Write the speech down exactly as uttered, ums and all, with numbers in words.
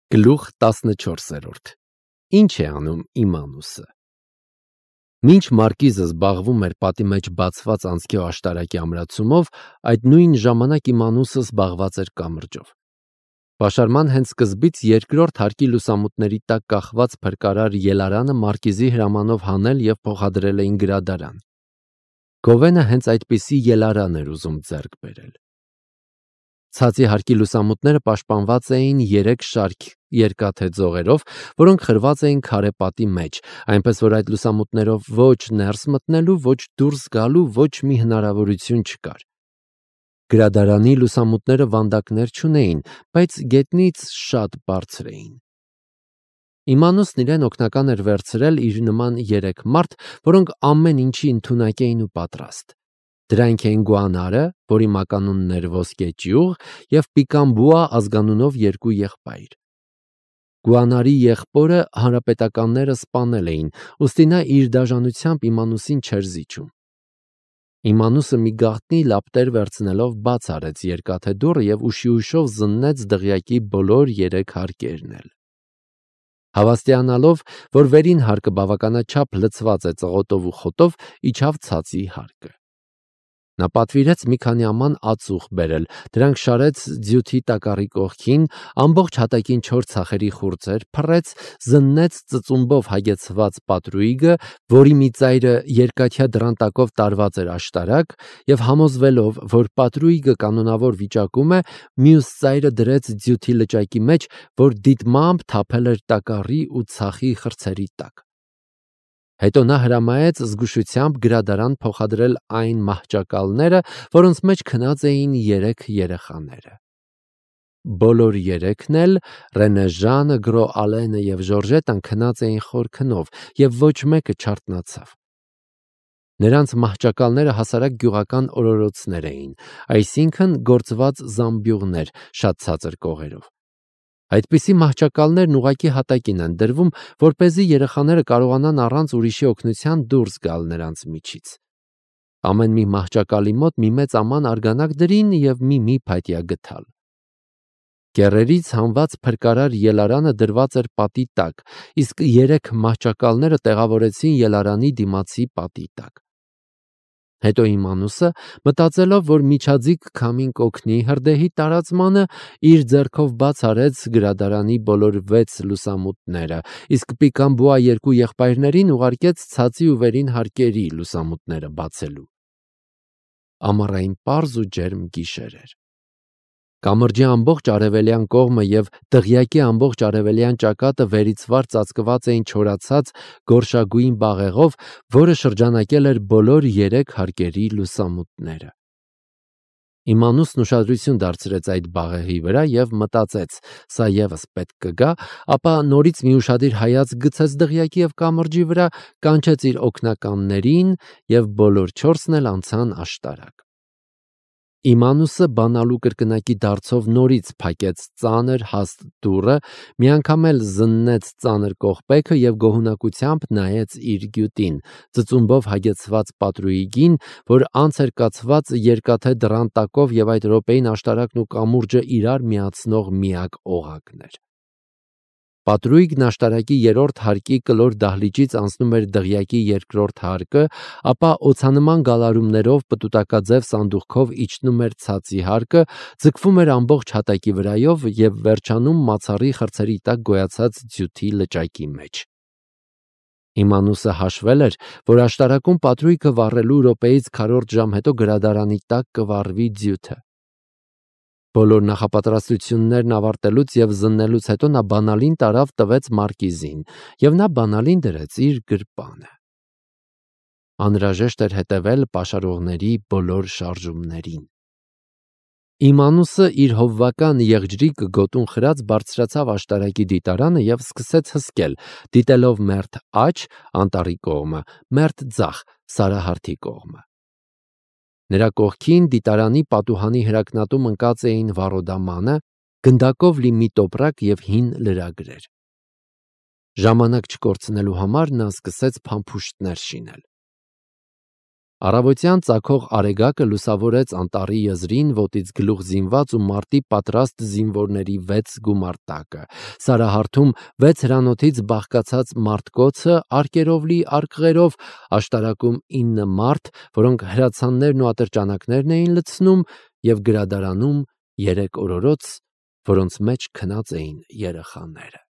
Գլուխ տասնչորսերորդ Ինչ է անում Իմանուսը։ Մինչ Մարկիզը զբաղվում էր պատի մեջ բացված անցքի աշտարակի ամրացումով, այդ նույն ժամանակ Իմանուսը զբաղված էր կամրջով։ Պաշարման հենց սկզբից երկրորդ հարկի լուսամուտների տակ կախված փրկարար Ելարանը Մարկիզի հրամանով հանել և փոխադրել էին գրադարան։ Գովենը հենց այդպիսի Ելարան էր ուզում ձեռք բերել։ Ցածի հարկի լուսամուտները պաշտպանված էին երեք շարք երկաթե ձողերով, որոնք խրված էին քարե պատի մեջ, այնպես որ այդ լուսամուտներով ոչ ներս մտնելու, ոչ դուրս գալու ոչ մի հնարավորություն չկար։ Գրադարանի լուսամուտները վանդակներ չունեին, բայց գետնից շատ բարձր էին։ Իմանուսն իրեն օգնական էր վերցրել իր նման երեք մարդ, որոնք ամեն ինչի ընդունակ էին ու պատրաստ։ Դրանք էին Գուանարը, որի մականունն էր Ոսկե ճյուղ, և Պիկամբուա ազգանունով երկու եղբայր։ Գուանարի եղբորը հանրապետականները սպանել էին, ուստի նա իր դաժանությամբ Իմանուսին չէր զիջում։ Իմանուսը մի գաղտնի լապտեր վերցնելով բաց արեց երկաթե դուռը և ուշիուշով զննեց դղյակի բոլոր երեք հարկերն էլ։ Հավաստիանալով, որ վերին հարկը բավականաչափ լցված է ծղոտով ու խոտով, իջավ ցածի հարկը։ Նա պատվիրեց մի քանի աման ածուխ բերել, դրանք շարեց ձյութի տակառի կողքին, ամբողջ հատակին չորս ցախերի խուրձեր փռեց, զննեց ծծումբով հագեցված պատրույգը, որի մի ծայրը երկաթյա դռան տակով տարված էր աշտարակ, և համոզվելով, որ պատրույգը կանոնավոր վիճակում է, մյուս ծայրը դրեց ձյութի լճակի մեջ, որ դիտմամբ թափել էր տակառի ու ցախի խրձերի տակ։ Հետո նա հրամայեց զգուշությամբ գրադարան փոխադրել այն մահճակալները, որոնց մեջ քնած էին երեք երեխաները։ Բոլոր երեքն էլ՝ Ռենեժանը, Գրո Ալենը և Ժորժետան քնած էին խոր քնով, և ոչ մեկը չարթնացավ։ Նրանց մահճակալները հասարակ գյուղական օրորոցներ էին, այսինքն գործված զամբյուղներ, շատ ցածր կողերով։ Այդպիսի մահճակալներն ուղղակի հատակին են դրվում, որպեսզի երեխաները կարողանան առանց ուրիշի օգնության դուրս գալ նրանց միջից։ Ամեն մի մահճակալի մոտ մի մեծ աման արգանակ դրին և մի-մի փայտյա գդալ։ Կեռերից հանված փրկարար Ելարանը դրված էր պատի տակ, իսկ երեք մահճակալները տեղավորեցին Ելարանի դիմացի պատի տակ։ Հետո Իմանուսը, մտածելով, որ միջաձիգ քամին կօգնի հրդեհի տարածմանը, իր ձեռքով բաց արեց գրադարանի բոլոր վեց լուսամուտները, իսկ Պիկամբուա երկու եղբայրներին ուղարկեց ցածի ու վերին հարկերի լուսամուտները բացելու։ Ամառային պարզ ու ջերմ գիշեր էր։ Կամրջի ամբողջ արևելյան կողմը և դղյակի ամբողջ արևելյան ճակատը վերից վար ծածկված էին չորացած գորշագույն բաղեղով, որը շրջանակել էր բոլոր երեք հարկերի լուսամուտները։ Իմանուսն ուշադրություն դարձրեց այդ բաղեղի վրա և մտածեց. սա ևս պետք կգա, ապա նորից մի ուշադիր հայացք գցեց դղյակի և կամրջի վրա, կանչեց իր օգնականներին, և բոլոր չորսն էլ անցան աշտարակ։ Իմանուսը բանալու կրկնակի դարձով նորից փակեց ծանր հաստ դուռը, միանգամ էլ զննեց ծանր կողպեքը և գոհունակությամբ նայեց իր գյուտին, ծծումբով հագեցված պատրույգին, որ անց էր կացված երկաթե դռան տակով և այդ րոպեին աշտարակն ու կամուրջը իրար միացնող միակ օղակն էր։ Պատրույգն աշտարակի երրորդ հարկի կլոր դահլիճից անցնում էր դղյակի երկրորդ հարկը, ապա օձանման գալարումներով պտուտակաձև սանդուղքով իջնում էր ցածի հարկը, ձգվում էր ամբողջ հատակի վրայով և վերջանում մացառի խրձերի տակ գոյացած ձյութի լճակի մեջ։ Իմանուսը հաշվել էր, որ աշտարակում պատրույգը վառելու րոպեից քառորդ ժամ հետո գրադարանի տակ կվառվի ձյութը։ Բոլոր նախապատրաստություններն ավարտելուց և զննելուց հետո նա բանալին տարավ տվեց Մարկիզին, և նա բանալին դրեց իր գրպանը։ Անհրաժեշտ էր հետևել պաշարողների բոլոր շարժումներին։ Իմանուսը իր հովվական եղջրիկ գոտուն խրած բարձրացավ աշտարակի դիտարանը և սկսեց հսկել, դիտելով մերթ աջ, անտառի կողմը, մերթ ձախ, Սարահարթի կողմը։ Նրա կողքին դիտարանի պատուհանի հրակնատում ընկած էին վառոդամանը, գնդակով լի մի տոպրակ և հին լրագրեր։ Ժամանակ չկորցնելու համար նա սկսեց փամփուշտներ շինել։ Առավոտյան ծագող արեգակը լուսավորեց անտառի եզրին ոտից գլուխ զինված ու մարտի պատրաստ զինվորների վեց գումարտակը։ Սարահարթում վեց հրանոթից բաղկացած մարտկոցը արկերով լի արկղերով, աշտարակում ինը մարդ, որոնք հրացաններն ու ատրճանակներն էին լցնում, և գրադարանում երեք օրորոց, որոնց մեջ քնած էին երեխաները։